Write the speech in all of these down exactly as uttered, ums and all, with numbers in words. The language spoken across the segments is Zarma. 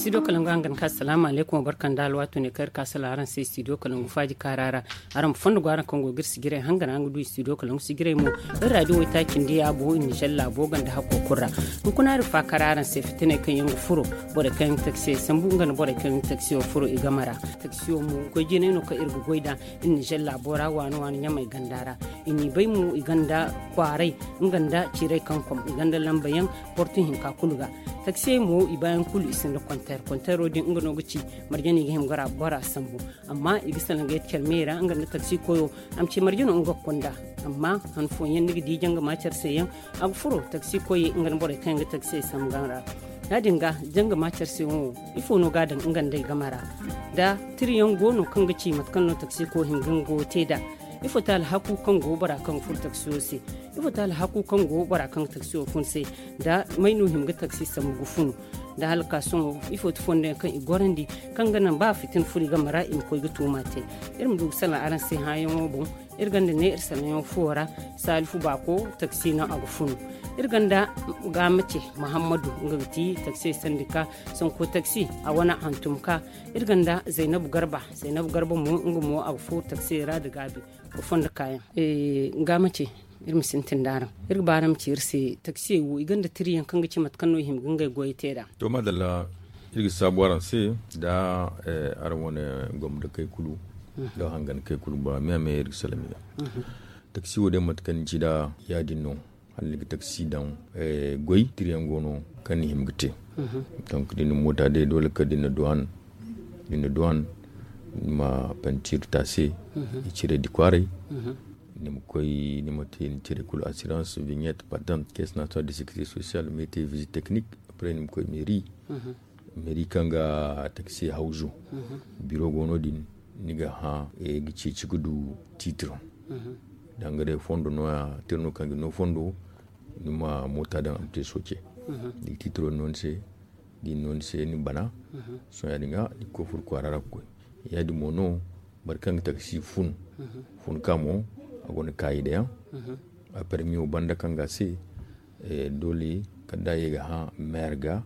Studio kalangu hangan ka salaamu alaykum wa barka nda alwaato ne kaŋ iri ka salaŋ araŋ se studio kalangu faaji kaara ra. Araŋ ma fondo go araŋ kaŋ go ga iri sijiray hangan araŋ ga du studio kalangu sijiray mo. Iri radio way taaci nda yaabo iri nizer laabo ganda hakko kulu ra. Hunkuna iri faakara araŋ se fitinay kaŋ yaŋ ga furo borey kaŋ yaŋ ga taksiyey sambu nga nda borey kaŋ yaŋ ga taksiyo furo i game ra. Taksiyo mo goy jinay no kaŋ iri ga goy nd'a iri nizer laabo ra waani waani ɲamay ganda ra. I n'i bay mo i gonda kwaaray nga nda ciiray kaŋ kom i gonda lamba yaŋ portu hinka kulu ga. Taksiyey mo i baayaŋ kulu i sinda konteer konteero din nga no ga ci marje no i ga hima ga bora sambu. Amma i ga salaŋ ga yadda care me ra nga nda taksi koyo a ma ci marje no nga ga kunda. Amma han fooyaŋ ni ga di janga ma care se yaŋ a ga furo taksi koyey nga nda borey kaŋ yaŋ ga taksiyey sambu game ra. Ya- din ga janga ma care se yaŋ wo ifo no ga a daŋ nga nda ay game ra? Da tirayaŋ go no kaŋ ga ci mate kaŋ no taksi koyo hima ga nga goyo te nd'a? Ifo ti alhaku kaŋ go bora kaŋ ga furo taksiyo se? Ifo ti alhaku kaŋ go bora kaŋ ga taksiyo fun se? Da may no hima ga taksi sambu ga funu? Da hala ka sohõ ifo ti fondo yaŋ kaŋ i gorandi kaŋ ga naŋ ba fitina furo i game ra i ma koy ga tuuma te? Iri ma du ga salaŋ araŋ se hãayaŋo boŋ. Iri gonda ne iri salaŋyaŋo fuwo ra. Saalifu baako taksi no a ga funu. Iri gonda gaamace muhammadu nga ga ti taksiyey sandika sanko taksi a wane hantum ka. Iri gonda zaynabu garba zaynabu garba mo nga mo a ga furo taksiyey ra nda gaabi ga fondo kaayaŋ. Gaamace iri ma sintin nd'araŋ. Iri ga ba araŋ ma ci iri se taksiyey wo i gonda tirayaŋ kaŋ ga ci mate kaŋ no i hima ga ngey goyey te nd'a. To maadalla. Iri ga saabu araŋ se nda araŋ wane gomdakey kulu nda hangankey kulu bora me a me iri ga salaŋ i ga. Taksi wo day mate kaŋ ni ci nd'a ya- din no. Hala ni ga taksi daŋ goy tirayaŋ go no kaŋ ni hima ga te. Donc da ni na moota day doole kala da ni na duwaan da ni na duwaan ni ma pentiir te a se. I cire di kwaaray ni ma koy ni ma te ni cire kulu assurance vignette patente caisse nationale de sécurité sociale mete visite technique. Après ni ma koy meeri. Meeri kaŋ ga taksi hawzu biro go no- din ni ga hã ga ceeci ga du tiitiro. Da nga day fondo nooya tira no kaŋ ga no fondo ni ma moota daŋ a ma te sooce. Ni ga tiitiro no ni se da i na no ni se ni bana. Sohõ ya- din ga ni ga koy furo kwaara ra ga koy. Ya- din mo no boro kaŋ ga taksi fun fun ka mo a gonda kaayida yaŋ. A permiyo banda kaŋ ga a se doole kala da a ye ga hã meer ga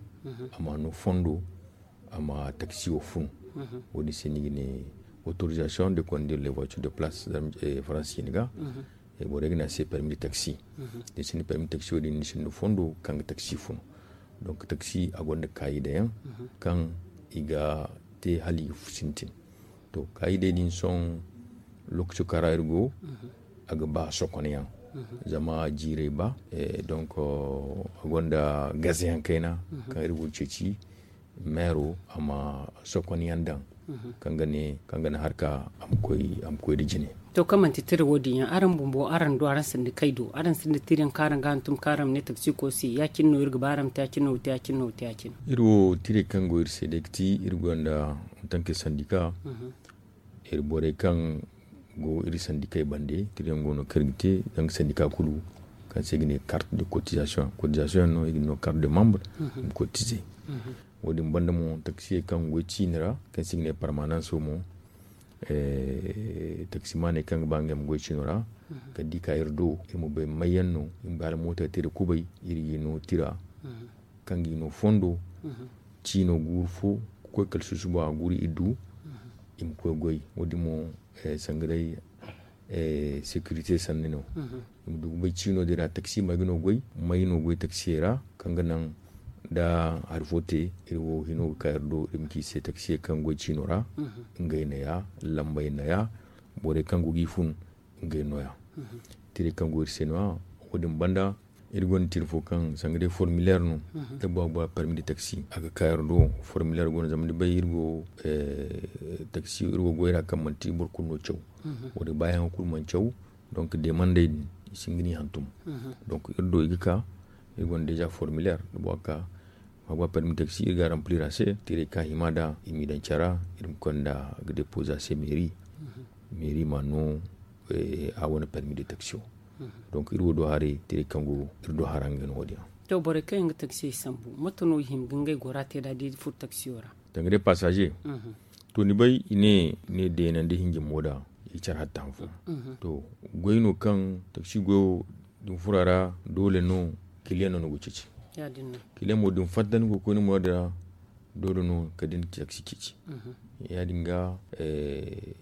a ma no fondo a ma taksi wo fun. Wo- din se ni ga ne autorisation de conduire les voitures de place faransi ciine ga. Borey ga ne a se permis de taxi. Da ni sinda permis taxi wo- din ni sinda fondo kaŋ ga taxi fun. Donc taxi a gonda kaayida yaŋ kaŋ i ga te hala i ga sintin. To kaayidey din sohõ lookaco kaŋ ra iri go a ga ba sokon yaŋ. Zama jiirey ba donc a gonda gaze yaŋ kayna kaŋ iri go ga ceeci meero a ma sokon yaŋ daŋ kaŋ ga ne kaŋ ga ne harka a ma koy a ma koy nda jine. To kaŋ manti tira wo- din yaŋ araŋ bumbo araŋ do araŋ sinda kay do araŋ sinda tira yaŋ kaŋ araŋ ga hantum kaŋ araŋ ma ne taksiko se ya- cine no iri ga ba araŋ ma te ya- cine no wa te ya- cine no wa te ya- cine. Iri wo tiray kaŋ go iri se day ga ti iri gonda en tant que syndicat. Iri borey kaŋ go iri sandikey bande tira yaŋ go no kaŋ iri ga te zanga sandika kulu kaŋ se i ga ne carte de cotisation cotisation yaŋ no i ga no carte de membre i ma cotiser. Wo- din banda mo taksiyey kaŋ goy ciini ra kaŋ se i ga ne permanence wo mo taksimaaney kaŋ ga ba ngey ma goy ciino ra kala da i ka iri do iri ma bay may yaŋ no i ma bay hala mootey te iri kubay iri ga i no tira kaŋ ga i no fondo ciino guuru fo ga koy kala susubo a guuru i du i ma koy goy wo- din mo sanga day securité sanni no. I ma du ga bay ciino din ra taksi may ga no goy may no goy taksiyey ra kaŋ ga naŋ da hari fo te iri wo hino ga ka iri do iri ma ci i se taksiyey kaŋ goy ciino ra ngey no ya lambey no ya borey kaŋ go ga i fun ngey no ya. Tiray kaŋ go iri se no- ya wo- din banda iri gonda tira fo kaŋ sanga day formulaire no da bora ga ba permis de taxi a ga ka iri do formulaire go no zama ni bay iri go taxi iri go goy ra kaŋ manti boro kulu no caw. Wo- din baayaŋo kulu mana caw donc demandey din i si hin ga ni hantum. Donc iri do i ga ka iri gonda déjà formulaire da bora ga ka ma ba permis taxi iri ga remplir a se tiray ka hima da i m'i daŋ care ra iri ma konda ga déposer a se mairie mairie ma no a wane permis de taxi wo. Donc iri wo do haray tiray kaŋ go iri do hara ngey no wo- din yaŋ. To borey kaŋ yaŋ ga taxi sambu mate no i hima ga ngey gora te da da i furo taxi wo ra? Danga day passager to ni bay i ne i ne deenandi hinjin mo da i care hatta han fo. To goy no kaŋ taxi goyo da ni furo a ra doole no kiliyaŋ no ni go ga ceeci. Kiliyaŋ mo da ni fatta ni go ga koy ni muraadu ra doole no kala da ni taksi ceeci. Ya- din ga,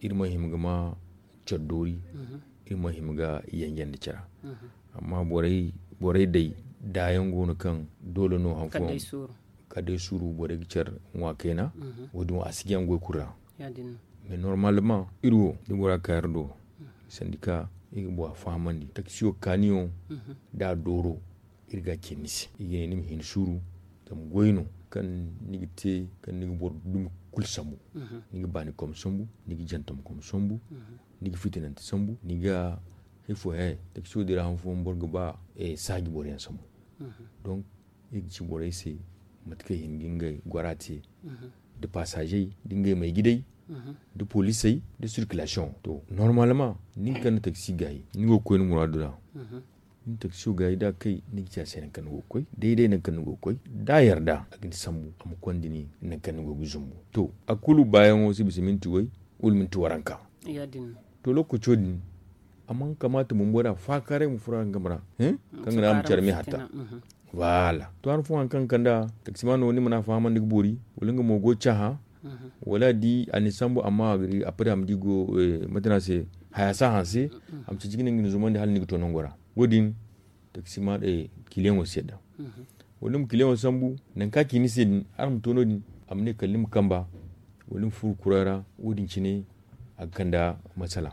iri mana hima ga ma care doori. Iri mana hima ga yanjandi care ra. Amma borey day daayaŋ go no kaŋ doole no han fooyaŋ kala day suuru borey ga care ŋwa kayna. Wo- din wo a si jaŋ goy kulu ra. Mais normalement iri wo da bora ka iri do sandika, iri ga bora fahamandi taksiyo kaaniyo da a dooro, iri ga a ce ni se, iri ga ne ni ma hin suuru. Zama goy no kaŋ ni ga te, kaŋ ni ga boro dumi kulu sambu. Ni ga baani kom sambu, ni ga jantam kom sambu, ni ga fitinante sambu, ni ga hari fo he taksiyo din ra han fooyaŋ boro ga ba saaji boro yaŋ sambu. Donc iri ga ci borey se mate kaŋ i hin ga ngey gora te, da pasaazey da ngey may gidey, da poliisey da sirkilasiyoŋ. To normalement nin kaŋ na taksi gaayi ni go ga koy ni muraadu ra. Ni taksiyo gaayi da a kay ni ga ci a se nangu kaŋ ni go ga koy, day- day nangu kaŋ ni go ga koy da a yarda a ga ni sambu a ma konda ni nangu kaŋ ni go ga zumbu. To a kulu baayaŋo si bisa minti way wala minti waranka. To lookaco din a mana kamaata bumbo da faakaaray ma furo araŋ game ra, kaŋ ga naŋ a ma care me hatta. Voilà. To han fooyaŋ kaŋ ga kand'a taksimaano ni mana a fahamandi ga boori, wala nga mo go ga caaha, wala a di a na ni sambu amma a ga di a padi a ma di go mate no a se, haya si a hanse, a ma ceeci ga ne nga na zumandi hala ni ga to nango ra. Wo- din taksimaano kiliyaŋo si yadda. Wala ni ma kiliyaŋo sambu nangu kaŋ a ci ni se din araŋ ma to no- din, a ma ne kala ni ma kamba, wala ni ma furo kuray ra. Wo- din cine a ga kand'a masala.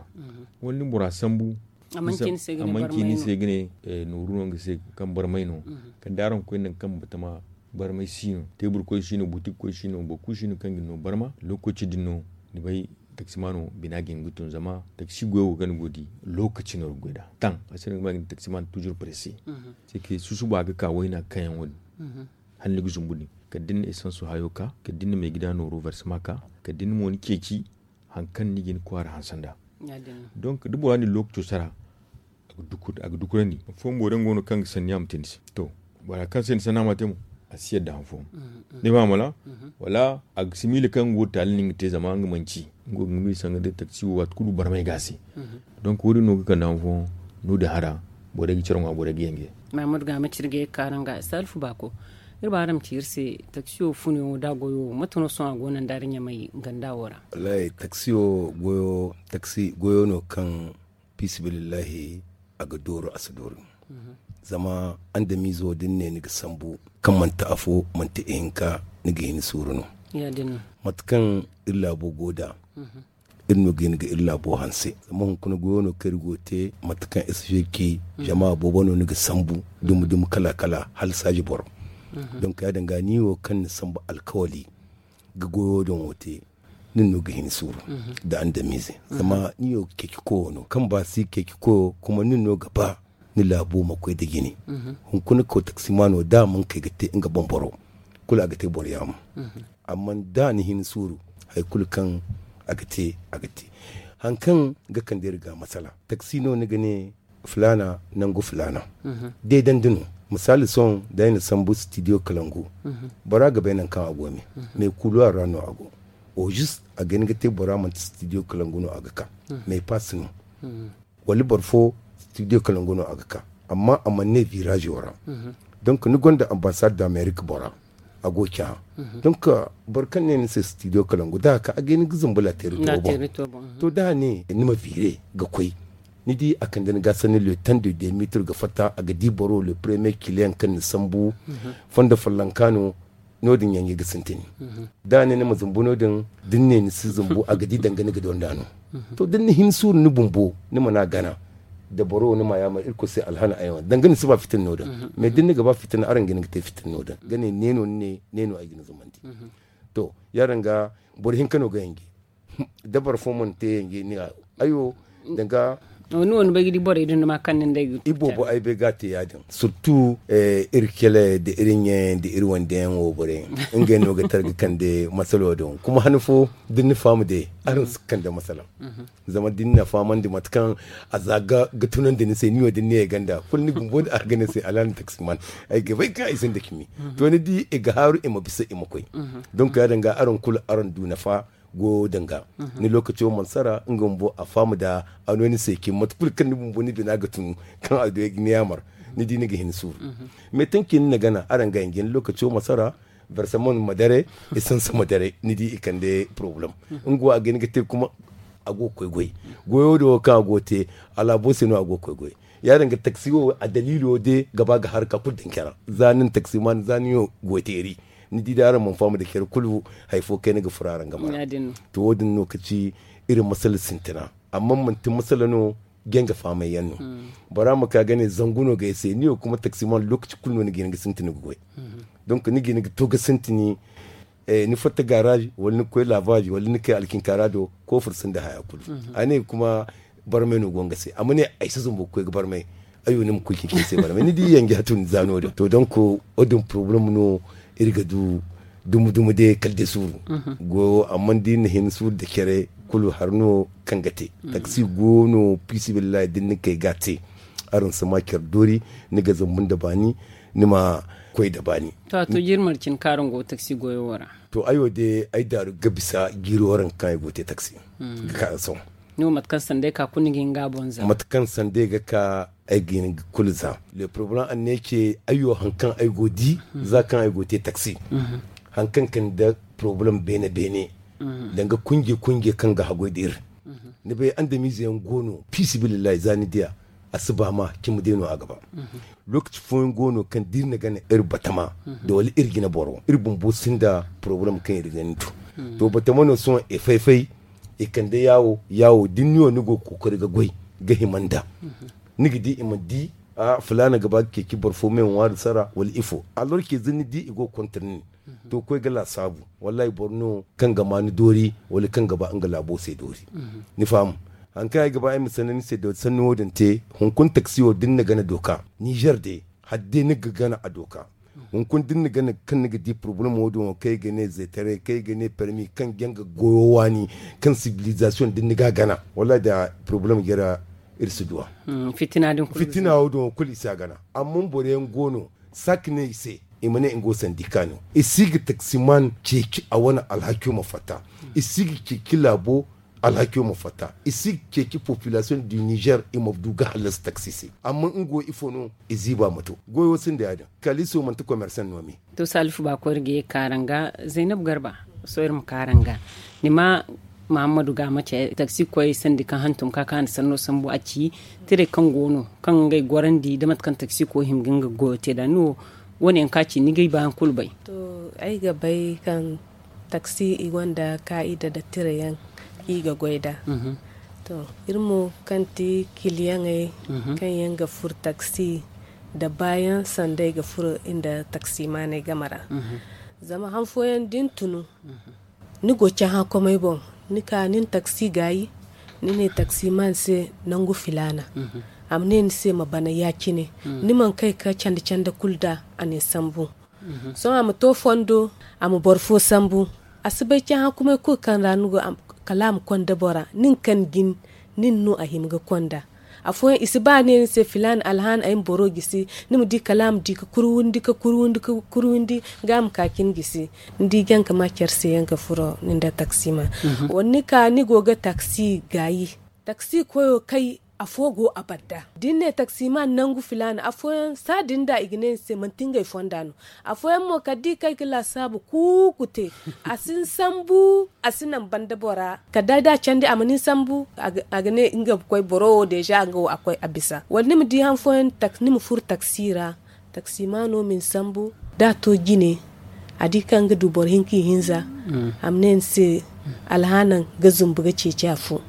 Wala ni ma bora sambu a mana ci ni se ga ne nooru no nga se kaŋ barmay no. Kala da araŋ koy nangu kaŋ batama barmay si no, teebur koy si no, butik koy si no, boro kulu si no kaŋ ga ni no barma. Lookaci din no ni bay taksimaano bina ga hin ga tun zama taksi goyo wo kaŋ ni go ga di lookaci no ga goy nd'a. Taŋ a se no ga ma ga ne taksimaano toujours presse. Susuba ga ka wayna ga ka yaŋ wo- din hala ni ga zumbu din kala da ni na esanso hayo ka, kala da ni na maygida nooro versement ka, kala da ni mo ni ceeci hari kaŋ ni ga hin kwaara hanse nd'a. Donc da bora na ni lookaco sara a ga dukurandi. Affooyaŋ boro yaŋ go no kaŋ ga sanniya ma te ni se. To bora kaŋ se ni sanniya ma te mo a si yadda han fooyaŋ. Ni faham wala? Wala a ga si miila kaŋ nga wo taali no nga te zama nga manci nga wo ga nga miila sanga day taksi wo waati kulu barmay ga a se. Donc wo- din no ga kande han fooyaŋ no- din hara borey ga care ŋwa borey ga yenge. Maamud ga ma ci iri ga ye ga ka araŋ ga salifu baako. Iri ba araŋ ma ci iri se taksiyo funoyaŋo da a goyo mate no sohõ a go no nda araŋ ɲamay ganda wo ra? Wallaahi taksiyo goyo taksi goyo no kaŋ fiisabilillahi a ga dooru a si dooru. Zama andamiizo da ni ne ni ga sambu kaŋ manti afo manti ihinka ni ga hin suuru no. Mate kaŋ iri laabo go nd'a iri no ga hin ga iri laabo hanse. Zama hunkuna goyo no kaŋ iri go ga te mate kaŋ iri si feeri ci jama boobo no ni ga sambu dumi dumi kala kala hala saaji boro. Donk ya- din ga ni wo kaŋ ni sambu alkawali ga goyo din wo te nin no ga hin suuru nda andamiize. Zama ni wo ga ceeci koyo no kaŋ ba si ceeci koyo kuma nin no ga ba ni laabo ma koy nda jine. Hunkuna kaw taksimaano da a mana kay ga te nga boŋ boro kulu a ga te boro yaamo. Amma da a na hin suuru hari kulu kaŋ a ga te a ga te. Hari kaŋ ga kande iri ga masala taksi no ni ga ne filaana nangu filaana. Deedandi no. Misaali sohõ da ay na sambu stidiyo kalangu bora ga bay nangu kaŋ a go me. Mais kuluwar ra no a go. Au juste a ga hin ga te bora manti stidiyo kalangu no a ga ka mais pass no. Wala boro fo stidiyo kalangu no a ga ka amma a mana ne viraazo ra. Donc ni gonda ambassade d'amérique bora a go ga cahã. Donc boro kaŋ ne ni se stidiyo kalangu da a ka a ga hin ga zumbu laateeri toobo. To da a ne ni ma viire ga koy ni di a kande ni ga sanni le temps de deux mètres ga fatta a ga di boro le premier client kaŋ ni sambu fondo follonka no. No- din yaŋ ga sintin da a ne ni ma zumbu no- din da ni ne ni si zumbu a ga di danga ni ga donda no. To da ni na hin suuru ni bumbo ni mana gana da boro wo ni ma yaamar irkoy se alhana ay wane danga ni si ba fitina no- din. Mais da ni ga ba fitina araŋ ga hin ga te fitina no- din ga ne ne no ni ne ne no ay ga ni zumandi. To ya- din ga boro hinka no ga yange da boro fo mana te yange ni ga ay wo danga. Ni wo ni bay ga di borey din duma kaŋ ni nd'ey ga i boobo ay bay ga a te ya- din surtout iri kele nda iri ɲayaŋ nda iri wande yaŋ wo borey ngey no ga tara ga kande masalo din kuma han fo da ni na faham day araŋ si ga kande masala. Zama da ni na fahamandi mate kaŋ a za ga tunandi ni se ni wo da ni ne ganda kulu ni bumbo da a ga ne se alhaali taksiman ay ga bay kaŋ ay sinda cimi. To ni di i ga haaru i ma bisa i ma koy. Donc ya- din ga araŋ kulu araŋ du nafa goyo din ga ni lookaco mana sara nga bumbo a faham da a no ni se cimi mate kulu kaŋ ni bumbo ni bina ga tun kaŋ a du ay ga ni yaamar ni di ni ga hin suuru. Mais tanki ni na gana araŋ ga yaŋ ga ni lookaco ma sara. Versaman ma dare, isansa ma dare, ni di i kande problem. Nga wo a ga hin ga te kuma a go ga koy goy. Goyo din wo kaŋ a go ga te, alaabo se no a go ga koy goy. Ya- din ga taksi wo a daliilo de ga ba ga harka kulu daŋ care ra. Za nin taksiman za nin wo goy teeri, ni di day araŋ mana faham da care kulu, hari fo kayna ga furo araŋ game ra. To wo- din no ka ci iri masala sintina. Amma manti masala no, jaŋ ga fahamay yaŋ no. Bora ma ka ga ne zangu no ga ay se ni wo kuma taksiman lokaci kulu no ni ga hin ga sintin ga goy. Donc ni ga hin ga to ga sintini, ni fatta garage wala ni ga koy lavage wala ni ga kay alkinkaara do, koofur sinda haya kulu. A ne kuma barmay no go nga se a ma ne ay si zumbu ga koy ga barmay. Ay wo ni ma koy ga hin ga ay se barmay ni di yanja tun za no- din to donc wo- din problem no. Iri ga du dumu dumu day kala day suuru. Goyo amma da iri na hin suuru da care kulu hari no kaŋ ga te. Taksi go no fiisabilillahi da ni na kay ga a te, araŋ si ma care doori. Ni ga zambu nda baani, ni ma koy nda baani. To a to jirmar cine kaŋ araŋ go taksi goyo wo ra. To ay wo day ay daaru ga bisa jiiri wo ra kaŋ ay go ga te taksi ga ka sohõ. Ni wo mate kaŋ sanda ay ka kulu ni ga hin ga a boŋ zama mate kaŋ sanda ay ga ka ay ga hin ga kulu za. Le problem a ne ce ay wo hari kaŋ ay go ga di za kaŋ ay go ga te taksi, hari kaŋ kande problem beene beene, danga kunje kunje kaŋ ga haggoy da iri. Ni bay andamiize yaŋ go no fiisabilillahi za ni diya, a si ba ma cimi day no a ga ba. Lokaci fooyaŋ go no kaŋ da iri na gana iri batama da wala iri jina boro iri bumbo sinda problem kaŋ iri ga ni du. To batama no sohõ i fay fay, i kande yaawo yaawo da ni wo ni go ga kookari ga goy ga hima nd'a. Ni ga di i ma di a filaana ga ba ga ceeci boro fo me ŋwaari sara wala ifo alors que za ni di i go ga kontar nin, to koy ga laasaabu. Wallahi boro no kaŋ ga ma ni doori wala kaŋ ga ba nga laabo se doori. Ni faham? Hari kaŋ ay ga ba ay ma sanni ni se doori sanni wo- din te. Hunkuna taksi wo da ni na gana dooka nizer day, hala day ni ga gana a dooka. Hunkuna da ni na gana kaŋ ni ga di problem wo- din wo kaŋ ay ga ne zeetaray kaŋ ay ga ne permi kaŋ jaŋ ga goyo waani, kaŋ sibilizasiyoŋ da ni ga a gana wallahi da problem jare ra iri si duw'a. Fitina wo- din wo kulu i si a gana. Amma boro yaŋ go no saak ne i se, i ma ne nga wo sandika no. I si ga taksiman ceeci a wane alhakiyo ma fatta. I si ga ceeci laabo alhakiyo ma fatta. I si ga ceeci populasiyoŋ du nizer i ma du ga hallasi taksi se. Amma nga wo ifo no i ziiba ma to goyo sinda ya- din. Kaliso manti komersan no me. To salifu ba koy iri ga ye ga ka araŋ ga. Zaynab garba, sohõ iri ma ka araŋ ga. Ni ma mahammadu ga ma ce taksi koyey sandi kaŋ hantum ka kaani sanno sambu a ci tirey kaŋ go no kaŋ ngey gorandi da mate kaŋ taksi koy hima ga nga goyo te nd'a ni wo? Wo- ne yaŋ kaŋ a ci ni ga ay ba hari kulu bay. To ay ga bay kaŋ taksi i gonda kaa'ida nda tira yaŋ i ga goy nd'a. To iri mo kaŋ ti kiliyaŋey kaŋ yaŋ ga furo taksi nda baayaŋ sanda ay ga furo nda taksimaaney game ra. Zama han fooyaŋ da ni tunu ni go cahãkomey boŋ, ni ka ni na taksi gaayi, ni ne taksimaan se nangu filaana. A ma ne ni se ma bana ya- cine. Ni mana kay ga candi candi kulu nd'a, a na ni sambu. Sohõ a ma to fondo, a ma boro fo sambu. A si bay cahãkomey kulu kaŋ ra ni go kala a ma konda bora nin kaŋ jin, nin no a hima ga konda. Afooyaŋ i si ba ne ni se filaana alhaana ay ma boro gisi. Ni ma di kala a ma di ga kurwundi ga kurwundi ga kurwundi, ga a ma ka cin gisi. Ni di jaŋ ga ma care se yaŋ ga furo ni nda taksimaan. Wala ni ka ni go ga taksi gaayi, taksi koyo kay afo go a banda da ni ne taksimaan nangu filaana afooyaŋ saadin da i ga ne ni se manti ngey fonda no. Afooyaŋ mo kala da i kay ga laasaabu kuuku te, a si ni sambu, a si naŋ banda bora kala da a candi a ma ni sambu. A ga ne nga ga koy boro wo deeza nga wo a koy a bisa wala ni ma di han fooyaŋ ni ma furo taksi ra. Taksimaano ma ni sambu da a to jine, a di kaŋ ga du boro hinka ihinza, a ma ne ni se alhaanaŋ ga zumbu ga ceeci afo.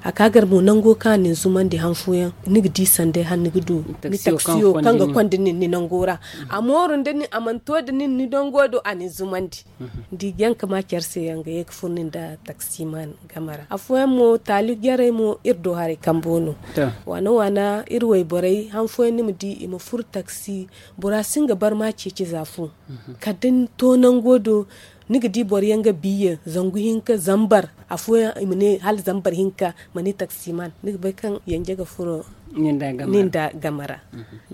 A ka gar mo nango kaŋ a na ni zumandi han fooyaŋ ni ga di sanday hala ni ga du ni taksiyo kaŋ ga konda nin ni nango ra. A mooru nda nin a mana to nda nin ni nango do a na ni zumandi. Ni di jaŋ ga ma care se yaŋ ga ye ga furo nin nda taksimaan game ra. Afooyaŋ mo taali jarey mo iri do haray kambo no. Waana waana iri wayborey han fooyaŋ ni ma di i ma furo taksi, bora si nga barma ceeci za fo. Kala da ni to nango do, ni ga di boro yaŋ ga biye zangu hinka zambar, afooyaŋ i ma ne hala zambar hinka ma ne taksimaan ni ga bay kaŋ yanje ga furo nin da game ra.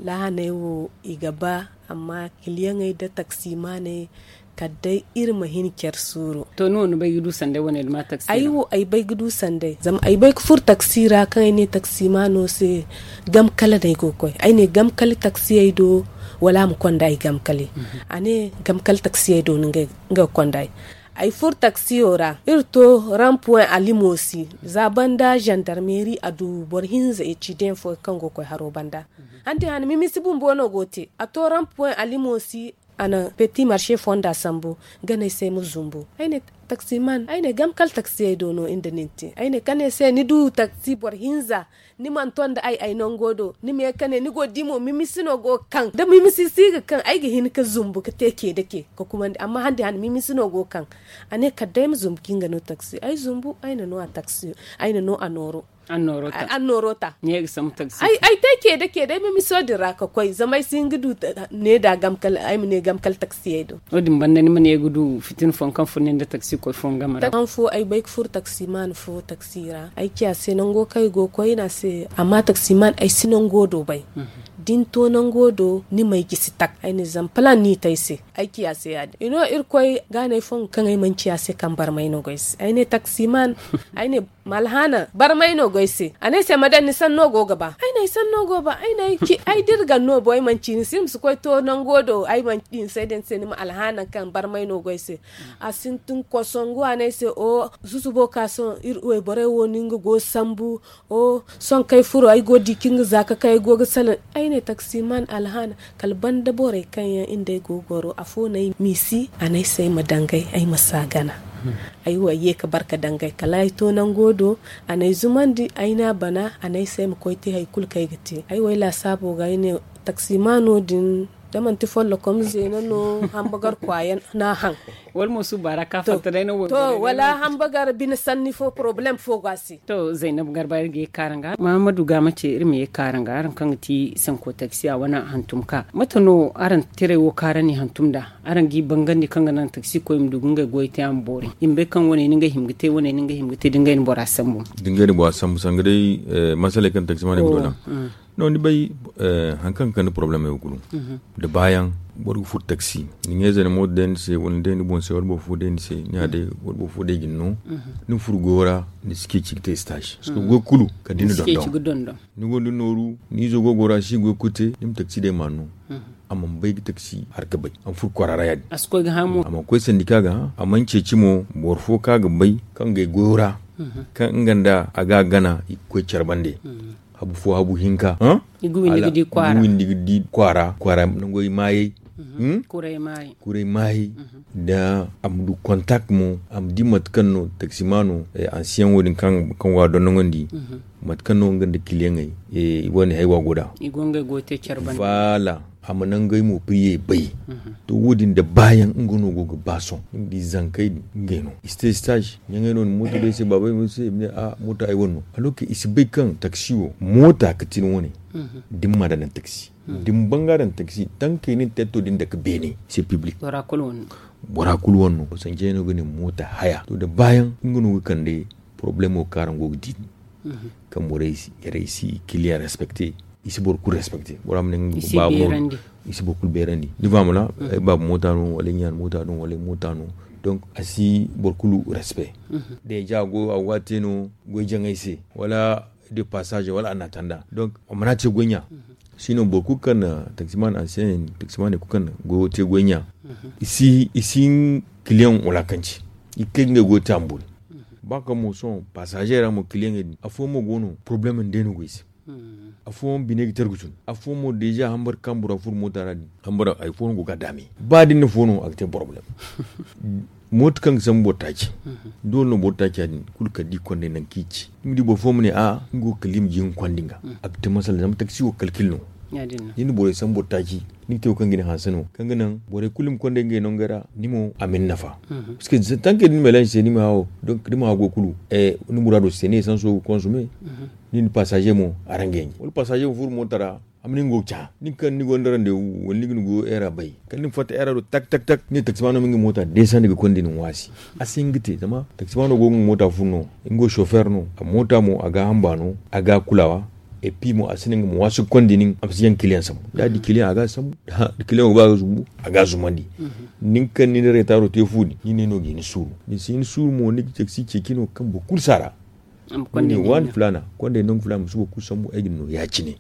Lahaney wo i ga ba, amma kiliyaŋey nda taksimaaney kala day iri ma hin care suuru. To ni wo ni bay ga du sanday wane da ma taksi ra? Ay wo ay bay ga du sanday zama ay bay ga furo taksi ra kaŋ ay ne taksimaano se, gam kala no ay go ga koy ay ne gam kala taksiyey do. Wala a ma konda ay gamkali. A ne gamkali taksiyey do no nga ga konda ay. Ay furo taksiyo ra, iri to rampuwen alimosi za banda zandarmeri a du boro hinza ecidiyaŋ fo kaŋ go ga koy haro banda. Handi hana mimisi bumbo no go te a to rampuwen alimosi. A na peti marse fonda sambu. Ganey se ay ma zumbu ay ne taksiman ay ne gam kala taksiyey do no iri nda nin te ay ne kane se ni du taksi boro hinza. Ni mana to nda ay ay nango do ni ma ye kane ni go ga di mo mimisi no go ga kaŋ da mimisi si ga kaŋ ay ga hin ga zumbu ga te ke da ke ga kumandi amma handi hana mimisi no go ga kaŋ. A ne kala day ay ma zumbu kaŋ nga no taksi ay zumbu ay na no a taksi ay na no a nooro. Annoorota. Ay te ke da ke day mimiso din ra ga koy zama ay si hin ga du ne da ay ma ne gam kala taksiyey do. Wo- din banda ni ma ne ga du fitina fo kaŋ furo nin da taksi koy fo game ra. Kaŋ fo ay bay ga furo taksiman fo taksi ra ay ci a se nango kaŋ ay go ga koy ay ne a se amma taksiman ay si nango do bay. Da ni to nango do ni may ga si tak ay ne zama plan no i te ay se. Ay ci a se ya- din i no irkoy gaanay fo kaŋ ay mana ci a se kaŋ barmay no go ay se ay ne taksiman. Ay ne ma alhaana barmay no go ay se a ne ay se ma daŋ ni sanno go ga ba ay ne ay sanno go ga ba ay ne ay ci ay da iri ga no bo ay mana ci ni se iri ma si koy to nango do ay mana ci ni se ay daŋ ni se ni ma alhaana kaŋ barmay no go ay se. A sintin kosongu a ne ay se o zusubo ka sohõ iri wayborey wo no nga go ga sambu. O sohõ kaŋ ay furo ay go ga di kaŋ nga za ka kay ay go ga salaŋ ay ne taksiman alhaana. Kala banda borey kaŋ yaŋ iri nda ay go ga goro afo no ay misi a ne ay se ay ma dangay ay ma si a gana. Ay wo ay ye ga barka dangay kala ay to nango do a na ay zumandi ay ne a bana a ne ay se ay ma koy te hari kulu kaŋ ay ga te ay wo ay laasaabo ga ay ne taksimaano din da manti follokom zeena no hambagar kwaayaŋ no a haŋ. Wala mo suuba ra ka fatta day no wala hambagar bine sanni fo porobalem fo go a se. To zaynab garba iri ga ye ga kaara nga mahamadu ga mace iri ma ye ga kaara nga araŋ kaŋ ga ti sanko taksi a wane hantum ka mate no araŋ tiray wo kaara ni hantum nda araŋ ga i bangandi kaŋ ga naŋ taksi koy ma du ga ngey goy te a ma boori i ma bay kaŋ wane ni ngey hima ga te wane ni ngey hima ga te da ngey na bora sambu. Da ngey na bora sambu sanga day masaley kaŋ taksi ma ne ga do naŋ. No ni bay hari kaŋ ga kande porobalem yaŋ kulu da baayaŋ boro ga furo taksi ni ɲeeze ni mooto day ni se wala ni day ni boŋ se wala boro fo day ni se ni ya day wala boro fo day ga ni no. Ni ma furo goyo ra ni si ceeci ga te stage parceque goy kulu kala da ni na dondon ni gonda nooru ni izo go goyo ra si goy kulu te ni ma taksi day ma a no. A mana bay ga taksi har ga bay a ma furo kwaara ra ya- din a mana koy sandika ga a mana ceeci mo boro fo kaŋ a ga bay kaŋ ga ay goyo ra kaŋ nga nda a ga a gana i ga koy care bande. Habu fo habu hinka i ga windi ga di kwaara kwaara nangoy maayey. Kuray maayey da a ma du kontak mo a ma di mate kaŋ no taksimaano ansiyaŋo din kaŋ go a dondoŋandi mate kaŋ no nga nda kiliyaŋey i wane haywa go nd'a. Voilà a ma nangey mo priyey bay. To wo- din da baayaŋ nga no go ga ba sohõ ni ma di zankey din ngey no i si te stage ɲaŋey no ni mooto day se baabey mo se i ma ne a mooto ay wane no alors que i si bay kaŋ taksi wo moota ga ti ni wane. Da ni mana daŋ taksi da ni banga daŋ taksi tankey ni na tetto din dake beene c'est public. Bora kulu wane no sanjey no ga ne moota haya to da baayaŋ nga no ga kande problemo kaŋ araŋ go ga di din kaŋ borey si kiliyaŋ respecte. I si boro kulu respecte bora ma ne nga ga baabu no i si boro kulu beerandi ni faamuna ay baabu moota no wala ay ɲaana moota no wala ay moota no. Donc a si boro kulu respect. Deja a go a waate no goy jaŋay se wala de passage wala a na tanda donc a mana te goy ɲa. Sino boro kulu kaŋ na taksiman ancien taksimaney kulu kaŋ na goyo te goy ɲa i si kiliyaŋ wulakanci i ga kay ga ngey goyo te a ma boori. Ba kaŋ mo sohõ passagey ra mo kiliyaŋey din afooyaŋ mo go no problème nda ay no go ay se. Afooyaŋ bine ga tar ga tun afooyaŋ mo deja hambar kaŋ bora furo moota ra din hambar hari fooyaŋ go ga a daame ba da ni na fo no a ga te problème. Mooto kaŋ ga sambu boro taaci doole no boro taaci ya- din kulu kala da i kond'ey nangu kaŋ i ci ni ma di boro fo ma ne a'a nga wo ga kala i ma ji nga kondi nga. A ga te masala zama taksi wo kalkil no. Da ni na borey sambu boro taaci ni ga te wo kaŋ ga ni hanse no kaŋ ga naŋ borey kulu i ma kond'ey ngey nangey ra ni mo a ma ni nafa. Parceque tankey da ni melange se ni ma hã wo donc da ni ma hã goy kulu ni muraado se ni essence wo ga consomme. Ni nda passage mo araŋ ga yaŋ wala passage mo furo moota ra a ma ne nga wo ga ca nin kaŋ ni gonda rendez-vous wala ni ga ni goyo heure a bay kala ni ma fatta heure a do tak tak tak ni ne taksimaano ma nga moota desandi ga konda ni ŋwa a se. A si hin ga te zama taksimaano go ga nga moota furu no nga wo chauffeur no a moota mo a ga a hamba no a ga a kulawa. Et puis mo a si ne nga ma waasu ga konda nin a ma si yaŋ kiliyaŋ sambu da a di kiliyaŋ a ga a sambu da kiliyaŋo ba a ga zumbu a ga a zumandi. Nin kaŋ ni na reetaaro te fu din ni ne no ga hin suuru ni si hin suuru mo ni ga taksi ceeci no kaŋ boro kulu si a ra. Ni ne waani filaana kondey nangu filaana ma si boro kulu sambu ay ga ni no ya- cine.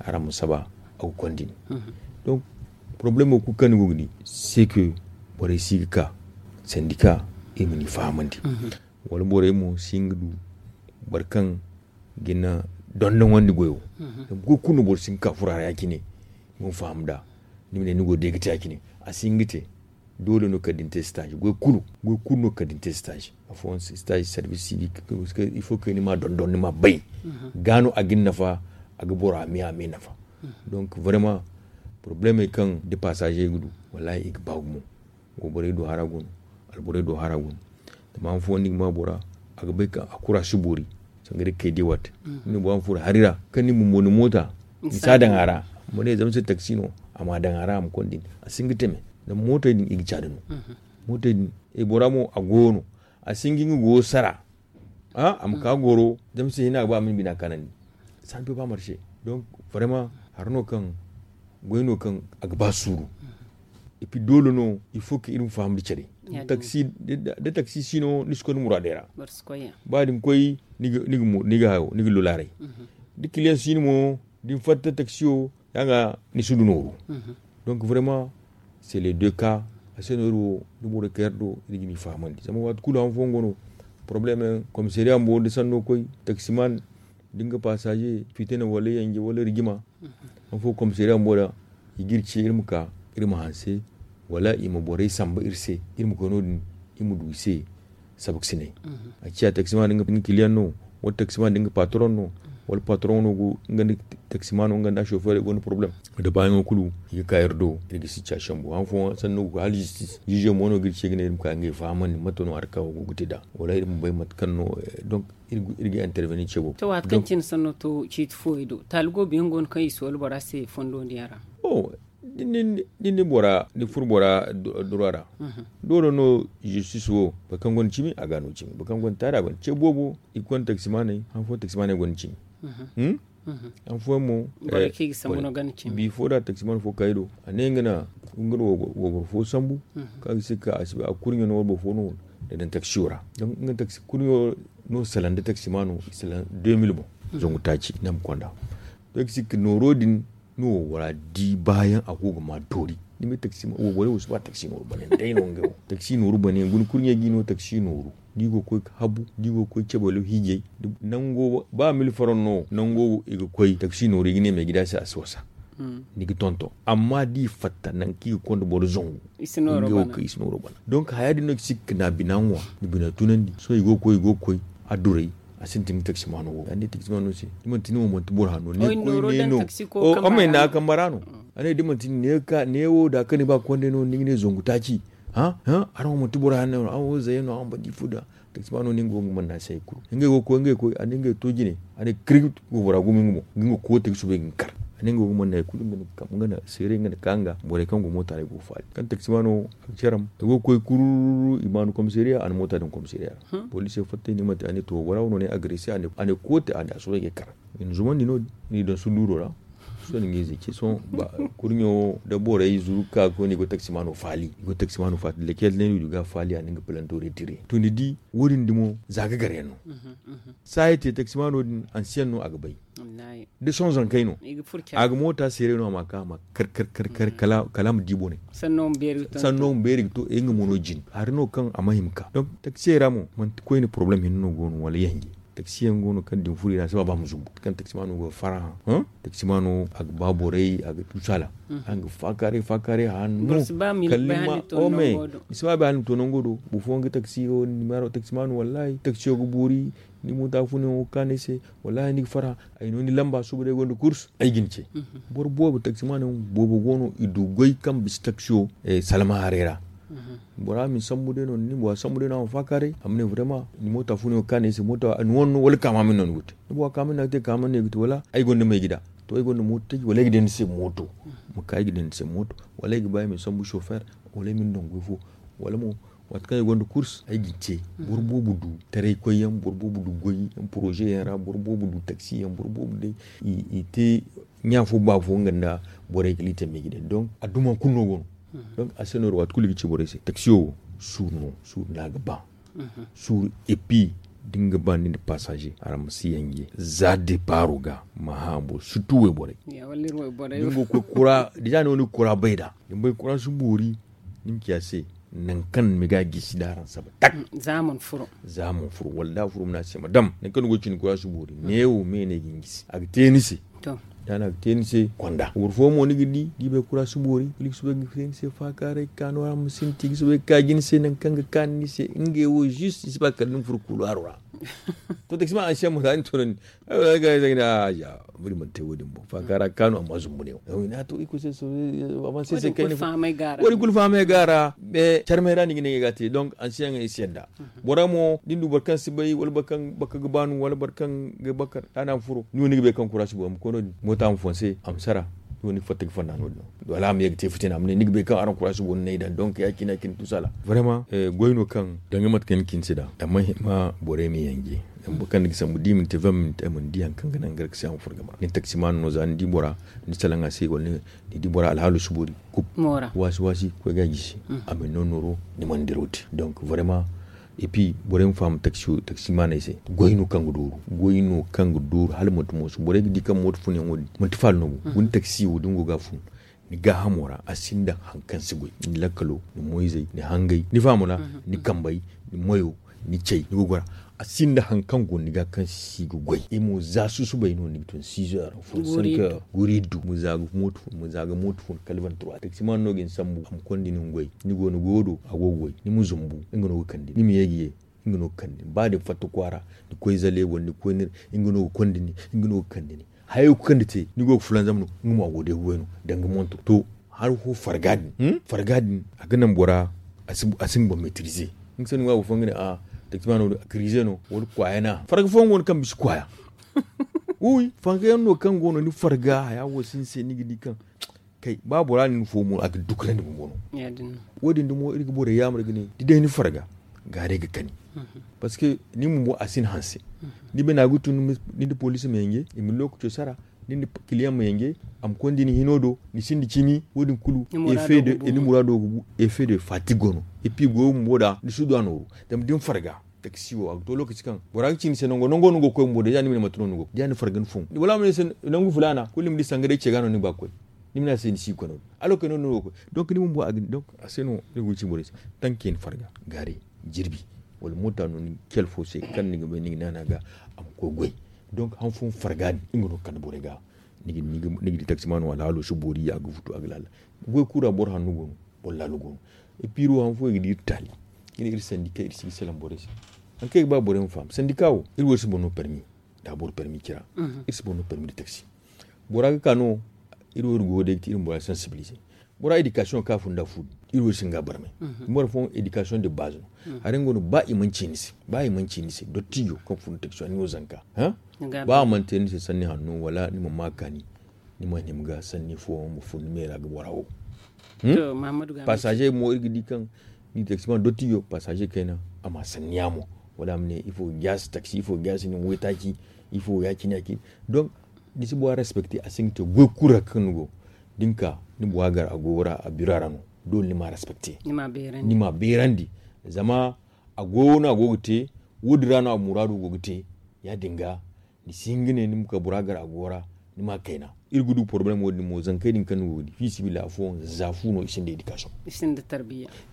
Araŋ ma saba a ga kondi ni. Donc Problemo kulu kaŋ ni go ga di, se ke borey si ga ka sandika, iri ma ni fahamandi. Wala borey mo si hin ga du boro kaŋ ga na dondonandi goyo. Zama goy kulu no boro si hin ga ka furo a ra ya- cine, nga ma faham nd'a. Ni ma ne ni go day ga te ya- cine, a si hin ga te. Doole no kala da ni te stage goy kulu, goy kulu no kala da ni te stage. Afooyaŋ si stage service civique, il faut que ni ma dondon, ni ma bay. Ga no a ga ni nafa, a ga bora me a me nafa. Donc vraiment, problemey kaŋ da passager ga du, wallahi i ga ba gumo. Wo borey do hara go no, alborey do hara go no. Zama han fooyaŋ ni ga ma bora, a ga bay kaŋ a kura si boori. Sanga day kay day waate. Ni bora ma furo hari ra kaŋ ni bumbo ni moota, ni si a daŋ a ra. Ma ne zama se taksi no, a ma a daŋ a ra, a ma konda ni. A si hin ga teme. Zama mootey din i ga caada no. Mootey din, e bora mo a go no. A si hin ga nga go sara. A ma ka goro zama se hina ga ba a ma ni bina kanandi. San pe ba marché. Donc vraiment, hari no kaŋ goy no kaŋ a ga ba suuru. Et puis doole no, il faut que iri ma faham da care. Da taksi si no ni si koy ni muraadey ra. Ba da ni koy, ni ga hayo, ni ga lulaaray. Da kiliyaŋ si no mo, da ni fatta taksiyo, ya ga ni si du nooru. Donc vraiment, c'est les deux cas. A se no iri wo, da borey kaŋ yaŋ do, iri ga ni fahamandi zama waati kulu han fooyaŋ go no. Problème, komisariya bumbo da sanno koy, taksiman da nga passager fitina wala yanje wala rigima. Han fo komisariya bumbo ra, i ga iri ce iri ma ka, iri ma hanse, wala i ma borey samba iri se, iri ma koy no- din, iri ma du i se. Sabaksinay. A ciya taksiman da nga kiliyaŋ no, wala taksiman da nga patron no, wala patron no go nga nda taksiman no nga nda chauffeur i gonda problème. Da baayaŋo kulu i ga ka iri do, iri ga situation bo han fooyaŋ sanno go ga hala justice, juge mo no ga iri ce ga ne iri ma ka ngey fahamandi mate no hari kaŋ go ga te nd'a, wala iri ma bay mate kaŋ no. Donc iri ga intervenir ce boobo. To waati kaŋ cine sanno to ciiti fooyaŋ do taali goobo yaŋ go no kaŋ i si wala bora se fondo nda yaŋ ra? Din ni bora ni furo bora dura ra. Doole no justice wo boro kaŋ gonda cimi a ga no cimi, boro kaŋ gonda taari a gonda ce boobo. I gonda taksimaaney han fooyaŋ taksimaaney gonda cimi. Han fooyaŋ mo bifo da taksimaano fo kay do a ne nga na wayboro fo sambu, kaŋ a ga si ga ka a si bay a kurɲo no wayboro fo no da daŋ taksiyo ra. Nga taksi kurɲo no salaŋ da taksimaano i salaŋ deux mille boŋ. Zangu taaci ne ma konda. Taksi nooro din no waybora di baayaŋ a go ga ma doori. Ni ma taksi wayborey wo si ba taksi nooru bane day no ngey wo taksi nooru bane guna kurɲey ga i no taksi nooru. Da i go ga koy ga habu da i go ga koy cabe wala hiijay nango ba mil faran no nango i ga koy taksi nooru i ga ne meegida se a si wasa. Ni ga tonton amma da i fatta nangu kaŋ i ga konda boro zangu. Ngey wo kaŋ i si nooro bana. Donk haya din no ga si ga na bina ŋwa na bina tunandi sohõ i go ga koy i go ga koy a duray. A sintin ga taksimaano wo a ne taksimaano se da manti ni wo manti boro hanno ne koy ne no. Amma i na a kamba ra no. A ne da manti ni ne wo da kaŋ ni ba konday no ni ga ne zangu taaci. Hã hã araŋ wo manti boro hanno no araŋ wo zayey no araŋ banda ifo da. Taksimaano no nga go ga manna se hari kulu ngey go ga koy ngey ga koy a na ngey to jine. A ne kirib waybora gumo nga boŋ nga nga koote ga soobay ga nga kar. A ne nga go ga manna hari kulu nga na seeray nga na ka nga borey kaŋ go moota ra i go ga faali kaŋ taksimaano a ga care a ma i go ga koy kururu i ma a na komisariya a na moota daŋ komisariya ra. Poliisey fatta i ne mate a ne to waybora wo no ne agrese a ne koote a ne a soobay ga ay kar. I na zumandi no- din i daŋ sulluuro ra. Sohõ ni ga ize ce sohõ kurɲo da borey zuru ga ka ga koy no i go taksimaano faali i go taksimaano faali lekkel ne no i du ga a faali a na nga palanto retire to ni di. Wo- din dumo za ga gar yaŋ no. Saaya te taksimaano din ansiyaŋ no a ga bay. Da sohõ zankey no a ga moota seeray no a ma ka a ma kar kar kar kala a ma di boney. Sanno ma beeri ga to ay nga mo no jin hari no kaŋ a ma hima ka donk taksiyey ra mo manti koyne porobalem hinne no go no wala yanje. Taksiyaŋ go no kaŋ da ni furo i ra a si ba ba ma zumbu kaŋ taksimaano go ga farhã. Taksimaano a ga ba borey a ga tuusu hala. Araŋ ga faakaaray faakaaray hanno. Kala ni ma ome ni si ba bay hala ni ma to nango do boro fooyaŋ ga taksi wo ni ma taksimaano wallahi taksiyo ga boori. Ni moota fo no yaŋ wo ga kaanu ay se. Wallahi ni ga farhã. Ay no ni lamba suba day gonda kurs ay ga ni ce. Boro boobo taksimaano yaŋ boobo go no i du goy kaŋ bisa taksiyo salma haray ra. Bora ma ni sambu day no ni bora sambu day no a ma faakaaray a ma ne vraiment ni moota fo no yaŋ ga kaanu ay se moota ni wane no wala kaama ma ni no ni ga te. Ni bora kaama no ni ga te kaama no ni ga te wala ay gonda ma ay ga da. To ay gonda mooto taji wala ay ga day ni se mooto. Ma ka ay ga day ni se mooto wala ay ga ba ay ma ni sambu chauffeur wala ay ma ni daŋ goy fo. Wala mo waati kaŋ ay gonda kurs ay ga ni ce. Boro boobo du taray koy yaŋ boro boobo du goy yaŋ poroze yaŋ ra boro boobo du taksi yaŋ boro boobo day i te ɲa fo ba fo nga nda borey kala i te meeji day donk a duma kulu no go no. Donk a se no iri waati kulu i ga ci borey se taksiyo wo suuru no suuru no a ga ba. Suuru epi da ni ga ba ni nda pasaze araŋ ma si yanje za depaaro ga ma hã boro surtout wayborey. Da ni go ga koy kura deja ni wo ni ga kura bay nd'a. Ni bay kuraasi boori, ni ma ci a se nangu kaŋ ni ga a gisi da araŋ saba tak. Za a mana furo. Wala da a furo ma ne a se ma dam nangu kaŋ ni go ga cindi kuraasi boori neewo me no ay ga ni gisi a ga te ni se. Da no a ga te ni se konda boro fooyaŋ mo ni ga di da i bay kuraasi boori kala i ga soobay ga te ni se faakaaray ga ka nooya ma sinti i ga soobay ga ka jina se nangu kaŋ ga kaanu ni se ngey wo zis i si ba kala ni ma furo kuulaaro ra. To taksimaan ansiyaŋ mo za ni toonandi. Ay wala ga ay zanga ne a ya buri mana te wo- din boŋ faaka ra ga kaanu amma zumbu ne wo. Ay wala ne a to iko se avanse se kayna wo- din kulu fahamay ga a ra. Carmay ra ni ga ne ga te donk ansiyaŋ ay si yadda. Bora mo da ni du boro kaŋ si bay wala boro kaŋ baka ga baanu wala boro kaŋ ga baka da na furo ni wo ni ga bay kaŋ kuraasi boori ma koy no- din moota ma fonse a ma sara. Ni wo ni ga fatta ga fonda no- din wala a ma ye ga te fitina a ma ne ni ga bay kaŋ araŋ kuraasi boori no ay daŋ donk ya- cine ya- cine tusala. Goy no kaŋ danga mate kaŋ ni cine se da amma hima borey ma yanje. Zama boro kaŋ ni ga sambu da i mana te vingt minutes ay mana di hari kaŋ ga naŋ gar ga se a ma furo game ra ni taksimaano no za ni di bora ni salaŋ a se wala ni di bora alhaalo si boori. Kub waasi waasi koy ga a gisi. A ma ni no nooro ni mana diraw te donk vraiment. Et puis borey ma faham taksimaaney se goy no kaŋ ga dooru goy no kaŋ ga dooru hala manti mooso borey ga di kaŋ mooto fun yaŋ wo- din manti faala no bo. Guna taksi wo da ni go ga a fun ni gaahamo ra a sinda hari kaŋ si goy ni lakkalo ni moyzey ni hangey ni faamo ra ni kambey ni moyo ni cey ni gogo ra. A sinda hari kaŋ go ni ga kaŋ si ga goy i mo za susubay no ni ga tun sizo ra fun sanka guri du ma za ga mooto fun kala vingt-trois taksimaano no ga ni sambu a ma konda ni ma goy ni go ni goyo do a go ga goy ni ma zumbu nga no ga kande ni ma ye ga ye. Nga no ga kande ni ba da ni fatta kwaara ni koy zale wala ni koy nir nga no ga konda ni nga no ga kande ni. Hayo ga kande te ni go ga fulanzam no nga mo a go day ga goy no danga monto to. Hari fo farga din farga din a ga naŋ bora a si nga boŋ maîtriser. Nga sanni ŋwa boro fo nga ne a taktima no a crise no wala kwaaya no a farga fo nga go no kaŋ bisa kwaaya. Wi farga yaŋ no kaŋ go no ni farga haya wo si ni se ni ga di kaŋ kay ba bora nin fo mo a ga dukura ni bumbo no. Wo- din dumo iri ga borey yaamar ga ne da day ni farga gaaray ga kani. Parce que ni bumbo a si ni hanse ni bana ga tun ni nda police ma yanje i ma lokaco sara ni nda kiliyaŋ ma yanje a ma konda ni hino do ni sinda cimi wo- din kulu ni muraado ga bu effet de fatigue go no. Et puis goyo bumbo da ni si du a nooru zama da ni farga taksi wo a ga to lokaci kaŋ bora ga ci ni se nango nango no ni go ga koy bumbo da ya ni ma ne mate no ni go ga koy da ya ni farga ni fun wala a ma ne ni se nangu fulaana kulu ni ma di sanga day ce ga no ni ga ba ga koy. Ni ma ne a se ni si ga koy nangu allo kay no- din no ni go ga koy donc ni bumbo a ga ni donc a se no ni go ga ci borey se. Tanke ni farga gaari jirbi wala moota no ni ga cel fo se kaŋ ni ga bay ni ga naana ga a ma koy goy. Donc han fooyaŋ farga din nga no ga kande borey ga ni ga di taksimaano alhaalo si boori a ga futu a ga laala. Goy kulu ra boro hanno go no boro laalo go no. Iri wo han fooyaŋ i ga di iri taali i ne iri sandika iri si ga salaŋ borey se. Hari kaŋ ay ga ba borey ma faham sandika wo iri wo iri si boro no permi da boro permi cira. Iri si boro no permi da taksi bora ga ka no iri wo iri go ga day ga te iri ma bora sensibiliser. Bora éducation kaŋ a fun da fu din iri wo iri si nga barmay. Boro fooyaŋ éducation de base no. Haray nga no ba i mana ci ni se ba i mana ci ni se dottijo kaŋ fun da taksi a ni wo zanka ba a mana te ni se sanni hanno wala ni ma ma kaani. Ni ma hima ga sanni fooyaŋ ma fun ni me ra ga bora wo. Passager mo iri ga di kaŋ ni taksiman dottijo passager kayna a ma sanni yaamo wala a ma ne ifo ga jaasi taksi ifo ga jaasi nin waytaaci ifo ya- cine ya- cine. Donc ni si bora respecter a si ga te goy kulu ra kaŋ ni go da ni ka ni bora gar a goyo ra a biro ra no. Doole ni ma respecter ni ma beerandi zama a goyo no a go ga te. Wo- din ra no a muraado go ga te ya- din ga ni si hin ga ne ni ma ka bora gar a goyo ra ni ma kayna. Iri ga du problème wo- din mo zankey din kaŋ ni go ga di fiisabilillahi afooyaŋ za fu no i sinda éducation.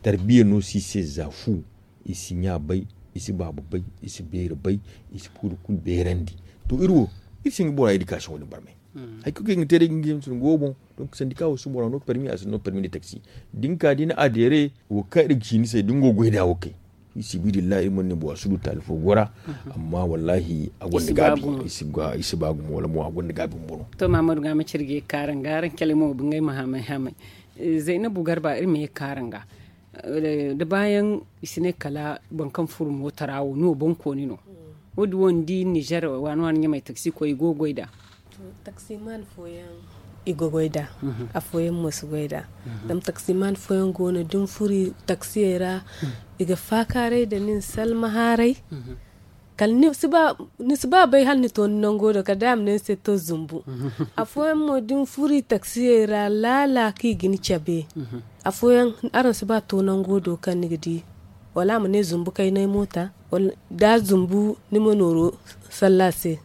Tarbiya no si i se za fu. I si ɲa bay i si baaba bay i si beeri bay i si kulu kulu beerandi. To iri wo iri si hin ga bora éducation wo- din barmay. Hari kulu kaŋ i ga te day ga nga yamsin go boŋ. Donc sandika wo si bora no permi a si no permi de taksi da ni ka da ni adhérer wo kaŋ iri ga ci ni se da ni go ga goy nd'a wo kay. Fi sabilillahi iri mana ne bora si du taali fo gora. Amma wallahi a gonda gaabi i si ba gumo wala mo a gonda gaabi bumbo no. To mahamadu ga ma ci iri ga ye ga kaaran ga araŋ cale mo ga ba ngey ma hamay hamay. Zaynabu garba iri ma ye ga kaaran ga da baayaŋ i si ne kala boro kaŋ furo mooto ra wo ni wo boŋkooni no. Wo- din wo ni di nizer waani waani ɲamay taksi koy i go ga goy nd'a. Taksimaan fooyaŋ i ga goy nd'a. Afooyaŋ mo si goy nd'a. Zama taksimaan fooyaŋ go no da ni furo taksiyey ra i ga faakaaray nda nin salma haaray. Kala ni si ba bay hala ni to ni nango do kala day a ma ne ni se to zumbu. Afooyaŋ mo da ni furo i taksiyey ra laala kaŋ i ga ni cabe. Afooyaŋ araŋ si ba to nango do kaŋ ni ga di wala a ma ne zumbu kaynay moota. Da a zumbu ni ma nooru salla a se.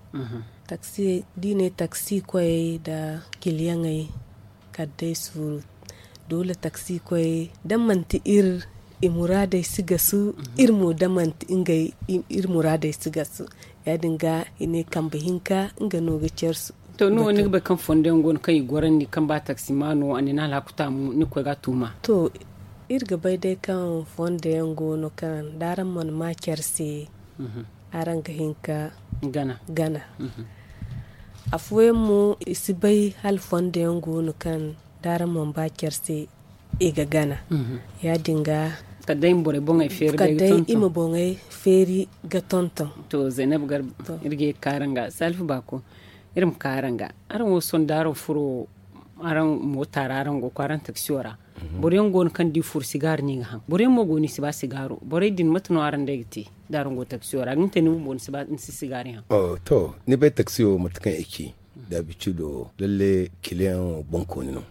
Taksi da i ne taksi koyey nda kiliyaŋey kala day suuru. Doole taksi koy da manti iri i muraadey si gasu, iri mo da manti ngey iri muraadey si gasu. Ya- din ga i ne kambe hinka nga no ga care su. To ni wo ni ga bay kaŋ fondo yaŋ go no kaŋ i gorandi kaŋ ba taksi ma no a ne ni alhaku taamu ni ga koy ga a tuuma? To, iri ga bay day kaŋ fondo yaŋ go no kaŋ da araŋ mana ma care se, araŋ ga hin ka gana. Afooyaŋ mo i si bay hala fondo yaŋ go no kaŋ da araŋ mana ba care se i ga gana. Ya- din ga kala day i ma boŋey feeri ga tonton. To, zaynab garba, iri ga ye ga ka araŋ ga salifu baako. Iri ma ka araŋ ga, araŋ wo sohõ da araŋ furo araŋ moota ra, araŋ go ga koy araŋ taksiyo ra. Boro yaŋ go no kaŋ da i furo sigaari no i ga haŋ. Boro yaŋ mo go no i si ba sigaaro. Borey din mate no araŋ day ga te da araŋ go taksiyo ra? Ga ni te ni bumbo ni si sigaari haŋ. To, ni bay taksiyo mate kaŋ i ci da abicido, lalle kiliyaŋo boŋkooni no.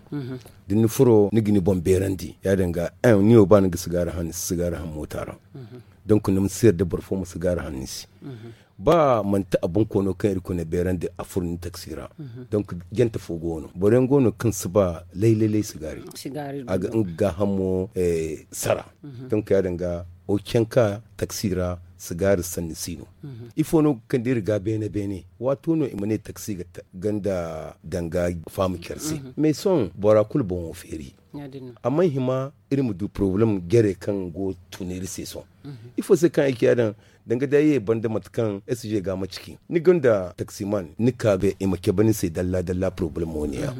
Da ni furo ni ga ni boŋ beerandi, ya- din ga ni wo ba ni ga sigaari haŋ ni si sigaari haŋ moota ra. Donk ni ma si yarda boro fo ma sigaari haŋ ni se. Ba manti a boŋkoono kaŋ iri kone beerandi a furo ni taksi ra. Donk jante fo go no, boro yaŋ go no kaŋ si ba lay lay lay sigaari. A ga nga gaahamo sara. Donk ya- din ga o canka taksi ra, sigaari sanni si no. Ifo no ga kande iri ga beene beene? Waato no i ma ne taksi ga ganda danga faamu care se. Mais sohõ bora kulu boŋo feeri. A mana hima iri ma du porobalem jare kaŋ go tun iri se sohõ. Ifo se kaŋ ay ci ya- din? Danga day ay ye banda mate kaŋ sg ga ma ciki ni gonda taksiman ni ka ga i ma cabe ni se dalla dalla porobalemo ne ya.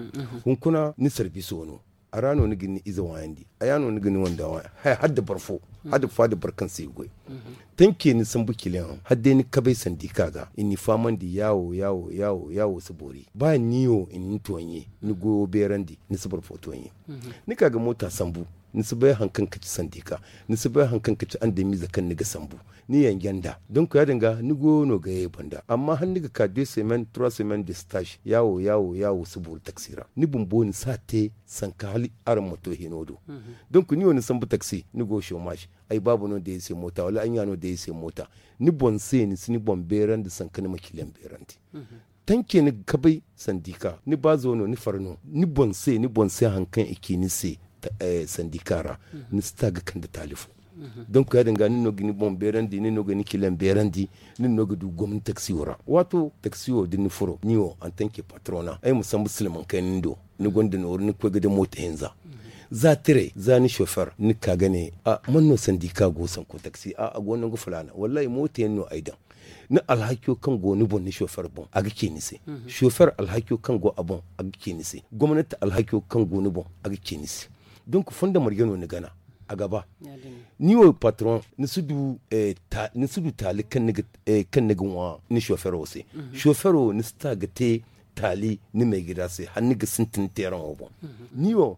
Hunkuna ni sarbiso no, a ra no ni ga ni ize waayandi, a ya no ni ga ni wanda waayandi, hala da boro fo, hala da faada boro kaŋ se i ga goy. Tanke ni sambu kiliyaŋ hala day ni kabay sandika ga i ni faamandi yaawo yaawo yaawo yaawo si boori ba ni wo i na ni tooɲe, ni goyo beerandi, ni si boro fo tooɲe. Ni ka ga moota sambu, ni si bay hari kaŋ ga ci sandika, ni si bay hari kaŋ ga ci andamiize kaŋ ni ga sambu. Ni yanja nd'a donk ya- din ga ni goyo no ga ye banda amma hala ni ga ka deux semaines trois semaines de stage yaawo yaawo yaawo si boori taksi ra, ni bumbo ni si a te sanka hala araŋ ma to hino do. Donk ni wo ni sambu taksi ni go chômage, ay baaba no day ay se moota wala ay ɲa no day ay se moota. Ni boŋ se ni si ni boŋ beerandi sanka ni ma kiliyaŋ beerandi. Tanke ni ga kabay sandika, ni baazo no, ni fara no, ni boŋ se ni boŋ se hari kaŋ i ci ni se sandika ra, ni si ta ga kande taali fo. Donk ya- din ga nin no ga ni boŋ beerandi, nin no ga ni kiliyaŋ beerandi, nin no ga du gomni taksiyo ra. Waato taksiyo da ni furo ni wo antanke patrona ay ma sambu silmaŋ kayna ni do, ni gonda nooru ni ga koy ga day moota hinza. Za tiray za ni chauffeur ni ga ka ga ne, a man no sandika go sanko taksi a a go nangu filaana wallaahi moota yaŋ no ay daŋ. Ni alhakiyo kaŋ go ni boŋ ni chauffeur boŋ a ga ce ni se. Chauffeur alhakiyo kaŋ go a boŋ a ga ce ni se. Gomnati alhakiyo kaŋ go ni boŋ a ga ce ni se. Donk fondo marje no ni gana a ga ba. Ni wo patron ni si du taali kaŋ ni ga ŋwa ni chauffeur wo se. Chauffeur wo ni si ta ga te taali ni maigida se hala ni ga sintin teeraŋo boŋ. Ni wo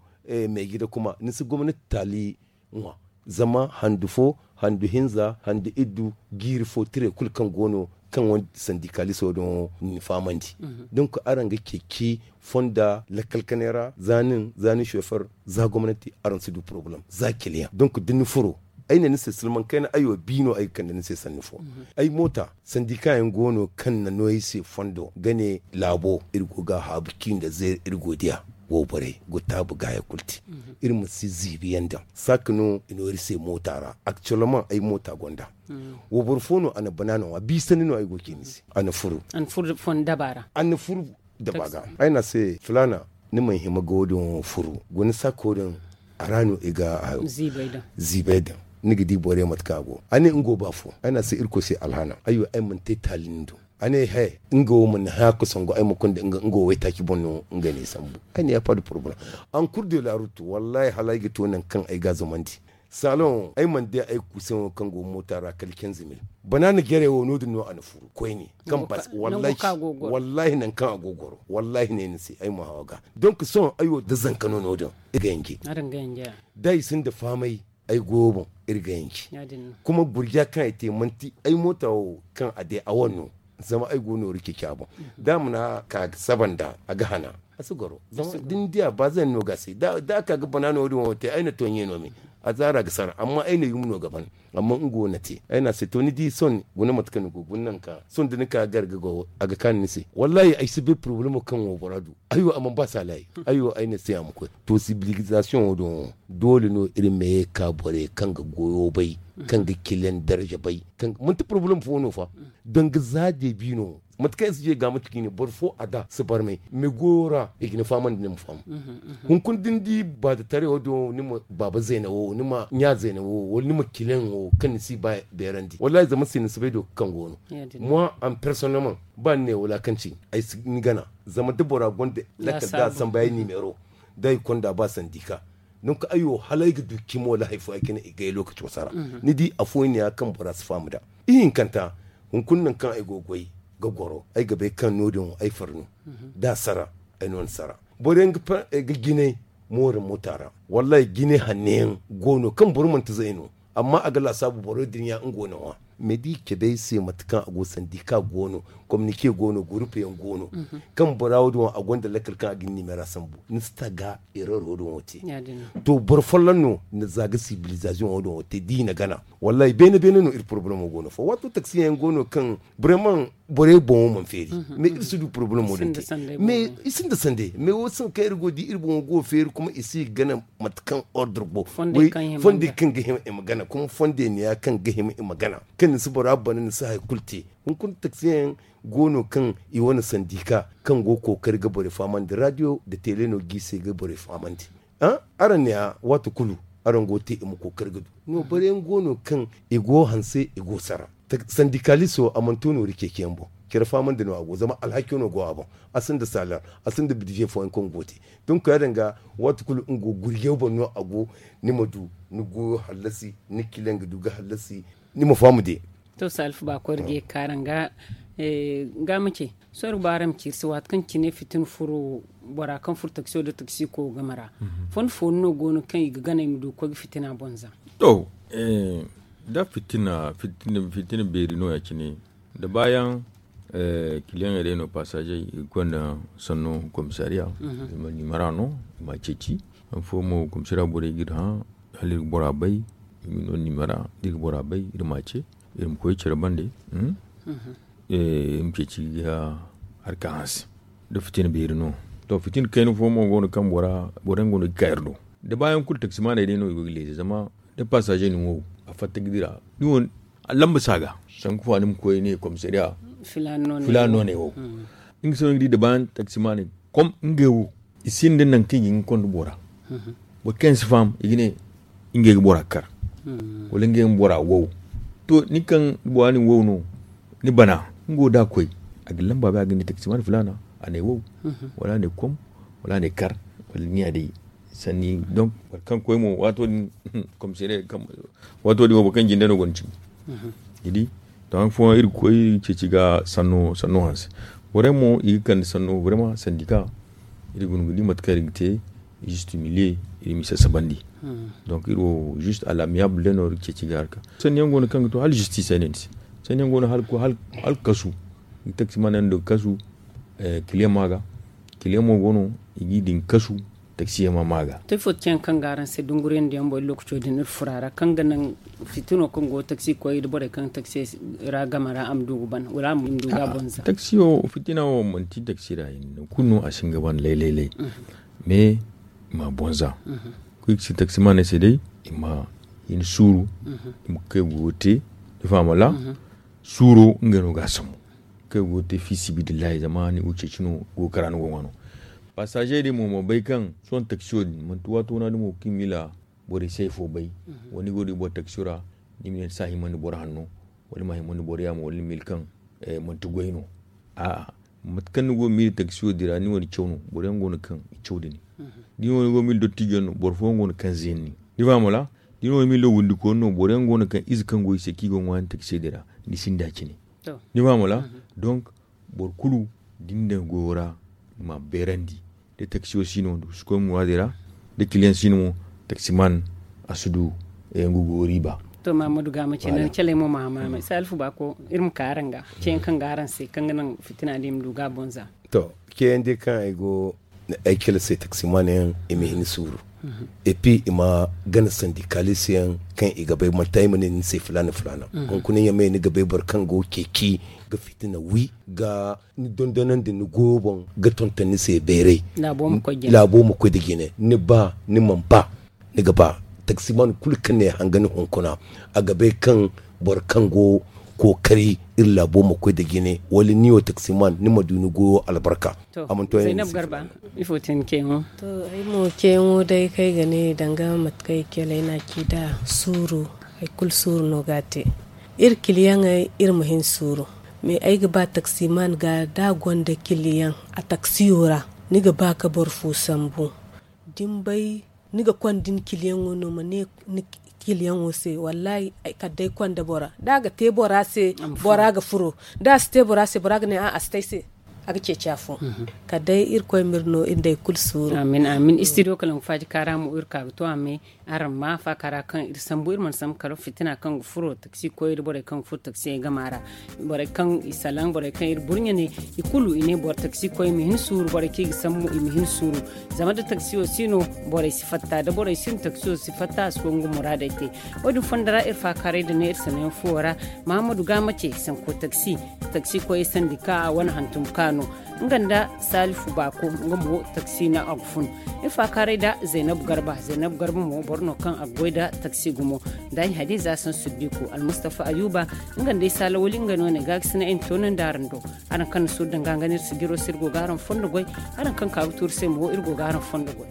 maigida kuma ni si gomnati taali ŋwa. Zama handu fo, handu hinza, handu iddu, jiiri fo tiray kulu kaŋ go no kaŋ wande sandikaliso din ni fahamandi. Donk araŋ ga ceeci fonda lakkal kanay ra za nin za ni chauffeur za gomnati araŋ si du problème za kiliyaŋ donk da ni furo ay ne ni se silmaŋ kayna ay wo bi no ay ga kande ni se sanni fo. Ay moota sandika yaŋ go no kaŋ na no ay se fondo ga ne laabo iri go ga a haabu ci nda zeeri iri go diya. Wo borey go taabu gaaya kulu te. Iri ma si ziibi yaŋ daŋ saaka no i no iri se moota ra akciyelman ay moota gonda. Wo boro fo no a na banaana ŋwa biisandi no ay go ga ci ni se a na furu. A na furu dabaa ga ay ne a se filaana ni mana hima ga wo- din furu guna saako din. A ra no i ga ziibay daŋ. Ni ga di borey mate kaŋ a go a ne nga wo ba fo ay ne a se irkoy se alhaana ay wo ay mana te taali ni do. A ne he nga wo mana haya ga sangu ay ma konda nga wo waytaaci boŋ no nga ne sambu. Ay ne ya pas de problème. Ankur de la rutu wallaahi hala ay ga to nangu kaŋ ay ga a zumandi. Saloŋ ay mana di ay kuusaŋo kaŋ go moota ra kala kenze mil. Banaana jarey wo no- din no a na furu koyne kaŋ bas wallaahi nangu kaŋ a go goro wallaahi ne ni se ay ma haw a ga. Donk sohõ ay wo da zanka no no- din. Ay ga yanje da i sinda fahamay ay goyo boŋ iri ga yanci. Kuma gurja kaŋ ay te manti ay moota wo kaŋ a day a wane no. Zama ay go nooru ceeci a boŋ da a mana ka ga saba nd'a a ga hana. Si goro zama da ni diya ba zan no ga se da a ka ga bana no wo din wo te ay na to ɲe no me. A zaara ga sara amma ay na yum no ga ban. Amma nga wo na te ay na se to ni di son guna mate kaŋ ni go guna nanka son da ni ka gar ga go a ga kaanu ni se. Wallahi ay si bay problemo kaŋ wo bora du. Ay wo a mana ba saalayi. Ay wo ay na se a ma koy to sibilizasiyoŋ wo din wo doole no iri ma ye ka borey kaŋ ga goyo bay, kaŋ ga kilen darza bay. Manti problemo fo no fa. Danga za deebi no. Mate kaŋ i si je ga mate kaŋ i ne boro fo a da si barmay me goyo ra i ga ni fahamandi ni ma faham. Hunkuna da ni di baadataray wo do ni ma baaba zeena wo ni ma ɲa zeena wo wala ni ma kilen wo kaŋ ni si ba beerandi wallahi zama se ni si bay do kaŋ go no. Moi en personnellement ba ni ne wala kaŋ ci ay si ni gana. Zama da bora gonda lakkal da a sambu ay nimero da ay konda ba sandika. Donc ay wo hala ay ga du cimo wala hari fo ay ga ne i gay lokaco sara. Ni di afooyaŋ ne ya kaŋ bora si faham nd'a. Ihinkanta hunkuna nangu kaŋ ay go ga goy ga goro ay ga bay kaŋ no- din wo ay far no. Da a sara ay no ni sara. Boro yaŋ ga jinay moori moota ra. Wallahi jinay hanno yaŋ go no kaŋ boro manti zay no. Amma a ga laasaabu boro din ya nga wane ŋwa. Mais da i cabe ay se mate kaŋ a go sandika go no, kominike go no gurupu yaŋ go no. Kaŋ bora wo- din wo a gonda lakkal kaŋ a ga ni nimeera sambu ni si ta ga erero din wo te. To boro folloŋ no ni za ga sibilizasiyoŋ wo- din wo te da i na gana. Wallahi beene beene no iri porobalemo go no fo waato taksiyaŋ yaŋ go no kaŋ, borey boŋo mana feeri. Mais iri si du porobalemo din te. Mais i sinda sande mais wo sinda kaŋ iri go ga di iri boŋo go ga feeri kuma i si ga gana. Mate kaŋ ordre go fondey kaŋ ga hima i ma gana kuma fondey ne ya kaŋ ga hima i ma gana. Kaŋ ni si bora bana ni si hari kulu te. Hunkuna taksiyaŋ yaŋ go no kaŋ i wane sandika kaŋ go ga kookari ga borey fahamandi radio nda tele no ga i se ga borey fahamandi. Araŋ ne a waati kulu araŋ go ga te i ma kookari ga du. No boro yaŋ go no kaŋ i go hanse i go ga sara. Sandikaliso a mana to noori ceeciyaŋ boŋ. Care fahamandi no a go zama alhaki no go a boŋ. A sinda salar a sinda bidije fooyaŋ kaŋ go ga te. Donk ya- din ga waati kulu nga go gurjey boŋ no a go. Ni ma du ni goyo hallasi ni kila nga du ga hallasi. Ni ma faham de. To salifu ba koy iri ga ye ga kaaraŋ ga. Ga ma ce sohõ iri ga ba araŋ ma ciiri se waati kaŋ cine fitina furo bora kaŋ furo taksiyo nda taksiko game ra. Fondo fondo no go no kaŋ i ga gana i ma du ga koy ga fitina boŋ za. To da fitina fitina beeri no ya- cine da baayaŋ kiliyaŋey day no pasaazey i ga konda sanno komisariya. I ma nimera no i ma a ceeci. Hari fo mo komisariya borey ga iri hã hala iri ga bora bay. Iri ma no nimera da iri ga bora bay iri ma a ce iri ma koy care bande. Iri ma ceeci ga harka hanse. Da fitina beeri no to fitina kayna fo mo go no kaŋ bora boro yaŋ go no ga ka iri do. Da baayaŋ kulu taksimaaney day no i go ga leeze zama da pasaazey na ni wow a fatta ga dira. Ni wo lamba si a ga sanku fa ni ma koy ne komisariya filaana no ne wow. Nga se no ni ga di da baayaŋ taksimaaney kom ngey wo i sinda nangu kaŋ i ga hin ga konda bora. Boro kaŋ yaŋ si faham i ga ne ngey ga bora kar wala ngey ma bora wow. To ni kaŋ bora na ni wow no ni bana nga wo da a koy a ga lamba bay a ga ne taksimaani filaana a ne wow wala a ne kom wala a ne kar wala ni ya day. Sanni donk boro kaŋ koy mo waato din komisariya waato din wo boro kaŋ jinde no go ni cimi. Ni di to han fooyaŋ iri ga koy iri ga ceeci ga sanno hanse. Borey mo i ga kande sanno vraiment sandika. Iri guna ga di mate kaŋ iri ga te juste miliye iri ma i sasabandi. Donc iri wo juste a l'amiable day no iri ga ceeci ga harka sanni yaŋ go no kaŋ ga to hala justice ay ne ni se. Sanni yaŋ go no hala kasu. Taksimaaney yaŋ daŋ kasu. Kiliyaŋ ma ga kiliyaŋ mo go no i ga i daŋ kasu. Taksiyaŋ ma ma ga. To ifo ga ci yaŋ kaŋ ga araŋ se dunguriyandiyaŋ boŋ iri lookaco din iri furo a ra kaŋ ga naŋ fitino kaŋ go taksi koy da borey kaŋ taksi ra game ra a ma du ga ban wala a ma du ga a boŋ za. Taksi wo fitina wo manti taksi ra hinne nangu kulu no a si hin ga ban lay lay lay. Mais i ma a boŋ za. Kuy ga si taksimaaney se day i ma hin suuru. I ma kay goyo te ni faham wala? Suuro ngey no ga a sambu. Kaŋ i go ga te fi sibidillahi zama ni go ga ceeci no go ga kara ni go ga ŋwa no. Pasaazey din mo ma bay kaŋ sohõ taksiyo din manti waato wana dumi wo kaŋ i ma miila borey si hari fo bay. Wala ni go ga di boro taksiyo ra ni ma ne ni si a himandi boro hanno wala ni ma a himandi boro yaamo wala ni ma miila kaŋ manti goy no. A'a mate kaŋ ni go ga miila taksiyo din ra ni wane caw no boro yaŋ go no kaŋ i caw da ni. Da ni wane go ga miila dottijo yaŋ no boro fooyaŋ go no kaŋ zeenni. Ni faham wala? Da ni wane miila wundikooni no boro yaŋ go no kaŋ ize kaŋ go i se kaŋ i go ga ŋwa yaŋ taksiyo din ra. Ni sinda cine. Ni faham wala? Donc boro kulu da ni daŋ goyo ra ni ma a beerandi. Da taksiyo si no da si koy muwaadey ra. Da kiliyaŋ si no mo taksimaan a si du nga goyo riiba. To mahammadu ga ma ce naŋ caley mo ma hama me salifu baako iri ma ka araŋ ga. Ceyaŋ kaŋ ga araŋ se kaŋ ga naŋ fitina din ma du ga a boŋ za. To ceyaŋ day kaŋ ay go Ay cale se taksimaana yaŋ i ma hin suuru. Epi i ma gana sandikaalis yaŋ kaŋ i ga bay manti ay ma ne ni se filaana filaana. Hunkuna yaŋ me ni ga bay boro kaŋ go ceeci ga fitina wi ga ni dondonandi ni goyo boŋ ga tonton ni se beeray. Laabo ma koy da jine ni ba ni mana ba. Ni ga ba taksiman kulu kaŋ ne hanga ni hunkuna a ga bay kaŋ boro kaŋ go kookari iri laabo ma koy da jine wala ni wo taksiman ni ma du ni goyo albarka. A mana to yaŋ ni se filaana. Ifo te ni ceeyaŋo? To ay mo ceeyaŋo day kaŋ ay ga ne danga mate kaŋ ay cale ay na a ci da suuru. Hari kulu suuru no ga a te. Iri kiliyaŋey iri ma hin suuru. Mais ay ga ba taksiman ga da a gonda kiliyaŋ a taksiyo ra ni ga ba ka boro fo sambu. Da ni bay ni ga konda ni kiliyaŋo no ma ne ni kiliyaŋo se wallahi. Kala day konda bora da a ga te bora se bora ga furo. Da a si te bora se bora ga ne a a si te ay se a ga ceeci afo. Kala day irkoy ma iri no iri nda hari kulu suuru. Amin amin. Istidiyo kala nga faaji kaara mo iri ka ga to a me. Araŋ ma faaka ra kaŋ iri sambu iri mana sambu kala fitina kaŋ ga furo taksi koyey da borey kaŋ ga furo taksiyey gama ra. Borey kaŋ i salaŋ borey kaŋ iri burɲe ne i kulu i ne boro taksi koy i ma hin suuru borey kaŋ i ga sambu i ma hin suuru. Zama da taksiyo si no borey si fatta da borey si no taksiyo si fatta a si koy nga muraadey te. Wo- din fondo ra iri faakaarey da ne iri sanayaŋ fuwo ra. Mahamadu ga mace sanko taksi taksi koyey sandi ka a wane hantum ka no. Nga nda salifu baako nga mo taksi no a ga fun. Iri faakaaray da zaynabu garba zaynabu garba mo boro no kaŋ a ga goy da taksi gumo. Nda ay hadiza san suddiko almustafa ayuba. Nga nda ay saalawali nga no ne ga ga sina ay na toonandi araŋ do. Araŋ kaŋ na suuru danga nga no iri si jiro se iri go ga araŋ fondo goy. Araŋ kaŋ ka ga tuuru se mo iri go ga araŋ fondo goy.